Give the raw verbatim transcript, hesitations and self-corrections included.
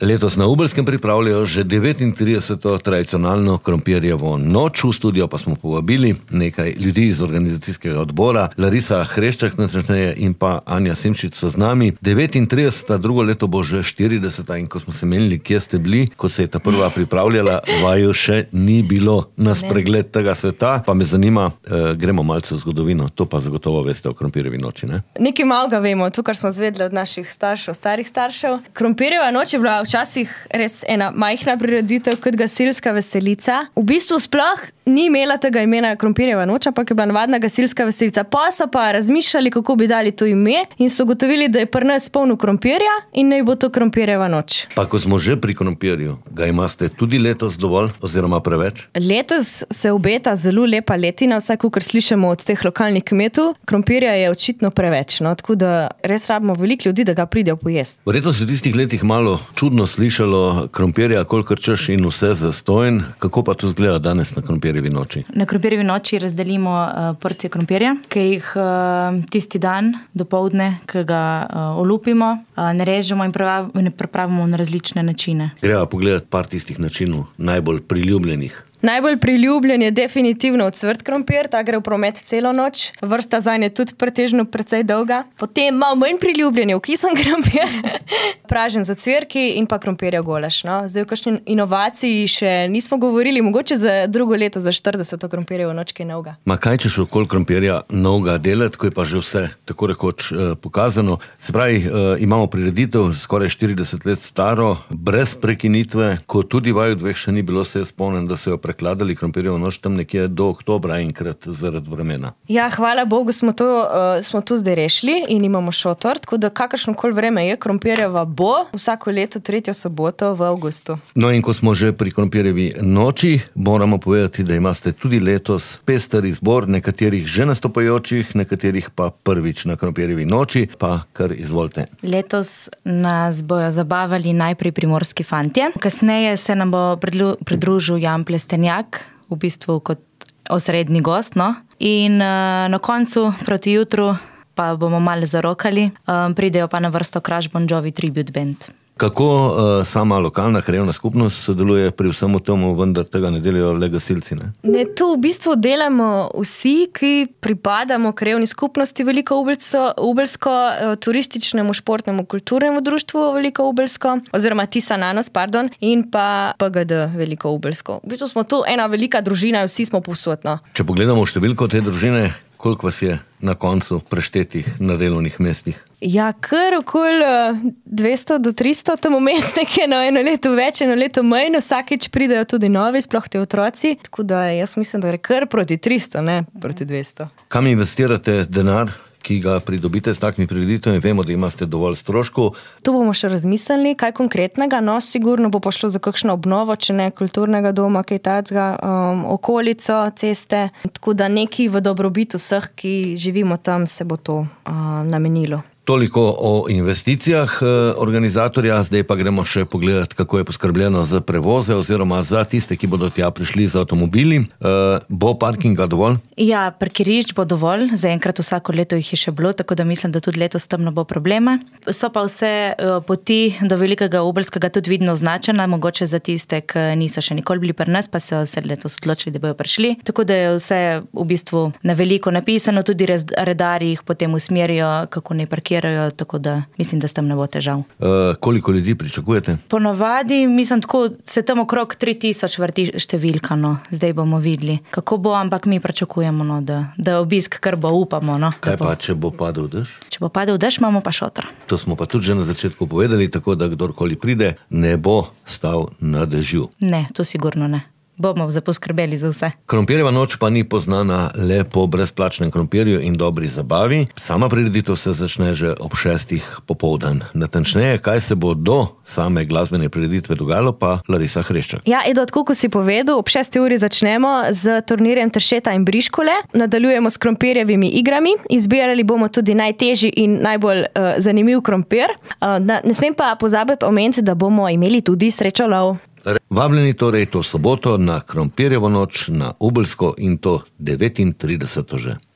Letos na Ubelskem pripravljajo že devetintrideseto tradicionalno krompirjevo noč. V studio pa smo povabili nekaj ljudi iz organizacijskega odbora. Larisa Hreščak natančneje in pa Anja Simšič so z nami. devetintrideseta, drugo leto bo že štirideseta in ko smo se menili, kje ste bili, ko se je ta prva pripravljala, vaju še ni bilo na spregled tega sveta. Pa me zanima, eh, gremo malce v zgodovino. To pa zagotovo veste o krompirjevi noči, ne? Nekaj malega vemo, to, kar smo zvedeli od naših staršev, starih staršev. Krompirjeva noč je bila včasih res ena majhna prireditev kot gasilska veselica. V bistvu sploh ni imela tega imena krompirjeva noč, ampak je bila navadna gasilska veselica. Pa so pa razmišljali, kako bi dali to ime in so ugotovili, da je pri nas polno krompirja in naj bo to krompirjeva noč. Pa ko smo že pri krompirju, ga imate tudi letos dovolj oziroma preveč? Letos se obeta zelo lepa letina, vsaj kakor slišimo od teh lokalnih kmetov. Krompirja je očitno preveč, no, tako da res rabimo veliko ljudi, da ga pridejo pojesti. Verjetno se v tistih letih malo čudno slišalo krompirja, kolikor češ in vse zastojen. Kako pa to izgleda danes na krompirjevi noči? Na krompirjevi noči razdelimo uh, porcije krompirja, ki jih uh, tisti dan dopoldne, ki ga uh, olupimo, uh, narežemo in pripravimo na različne načine. Greva pogledati par tistih načinov, najbolj priljubljenih. Najbolj priljubljen je definitivno ocvrt krompir, ta gre v promet celo noč. Vrsta zanj je tudi pretežno precej dolga. Potem malo manj priljubljen je okisan krompir, pražen z ocvirki in pa krompirjev golaž. No? Zdaj v kakšni inovaciji še nismo govorili, mogoče za drugo leto, za štirideseto krompirjevo noč, ki je novega. Ma kaj češ okoli krompirja novega delati, ko je pa že vse tako rekoč eh, pokazano? Se pravi, eh, imamo prireditev skoraj štirideset let staro, brez prekinitve, ko tudi vaju dveh še ni bilo, se spomnim, da se jo prekladali krompirjevo noč tam nekje do oktobra enkrat zaradi vremena. Ja, hvala Bogu smo to, uh, smo to zdaj rešili in imamo šotor, tako da kakršnokoli vreme je, krompirjeva bo vsako leto tretjo soboto v avgustu. No in ko smo že pri krompirjevi noči, moramo povedati, da imate tudi letos pester izbor nekaterih že nastopajočih, nekaterih pa prvič na krompirjevi noči, pa kar izvolite. Letos nas bojo zabavali najprej primorski fantje, kasneje se nam bo pridružil Jan Plestenjak, v bistvu kot osrednji gost, no. In uh, na koncu, proti jutru, pa bomo malo zarokali, um, pridejo pa na vrsto Crash Bon Jovi Tribute Band. Kako uh, sama lokalna krajevna skupnost sodeluje pri vsemu tomu, vendar tega ne delajo le gasilci, ne? Ne, to v bistvu delamo vsi, ki pripadamo krajevni skupnosti Veliko Ubelsko, Ubelsko turističnemu, športnemu, kulturnemu društvu Veliko Ubelsko, oziroma Tisa Nanos, pardon, in pa P G D Veliko Ubelsko. V bistvu smo tu ena velika družina, vsi smo povsod, no. Če pogledamo številko te družine, koliko vas je na koncu preštetih na delovnih mestih? Ja, kar okoli dvesto do tristo, tam vmes nekje, no, eno leto več, eno leto manj, vsakeč pridejo tudi novi, sploh te otroci, tako da jaz mislim, da je kar proti tristo, ne proti dvesto. Kam investirate denar, ki ga pridobite s takimi prireditvami? Vemo, da imate dovolj stroškov. Tu bomo še razmislili, kaj konkretnega, no, sigurno bo pošlo za kakšno obnovo, če ne kulturnega doma, kaj tacga, um, okolico, ceste, tako da neki v dobrobit vseh, ki živimo tam, se bo to uh, namenilo. Toliko o investicijah organizatorja, zdaj pa gremo še pogledati, kako je poskrbljeno za prevoze oziroma za tiste, ki bodo tja prišli z avtomobili. E, bo parkinga dovolj? Ja, parkirišč bo dovolj, zaenkrat vsako leto jih je še bilo, tako da mislim, da tudi letos tam ne bo problema. So pa vse poti do Velikega Ubelskega tudi vidno označena, mogoče za tiste, ki niso še nikoli bili pri nas, pa so se letos odločili, da bojo prišli. Tako da je vse v bistvu na veliko napisano, tudi redarji jih potem usmerijo, kako ne parkirajo. Tako da mislim, da s tem ne bo težav. E, koliko ljudi pričakujete? Ponovadi, mislim, tako se tam okrog tri tisoč vrti številka, no. Zdaj bomo videli, kako bo, ampak mi pričakujemo, no, da, da obisk kar bo, upamo. No, kaj pa, če bo padel dež? Če bo padel dež, imamo pa šotor. To smo pa tudi že na začetku povedali, tako da kdorkoli pride, ne bo stal na dežju. Ne, to sigurno ne. Bomo poskrbeli za vse. Krompirjeva noč pa ni poznana le po brezplačnem krompirju in dobri zabavi. Sama prireditev se začne že ob šestih popoldan. Natančneje, kaj se bo do same glasbene prireditve dogajalo, pa Larisa Hreščak. Ja, Edo, tako ko si povedal, ob šesti uri začnemo z turnirjem Tršeta in Briškole. Nadaljujemo s krompirjevimi igrami. Izbirali bomo tudi najtežji in najbolj uh, zanimiv krompir. Uh, ne, ne smem pa pozabiti omeniti, da bomo imeli tudi srečolov. Vabljeni torej to soboto na krompirjevo noč na Ubelsko in to devetintrideseto že.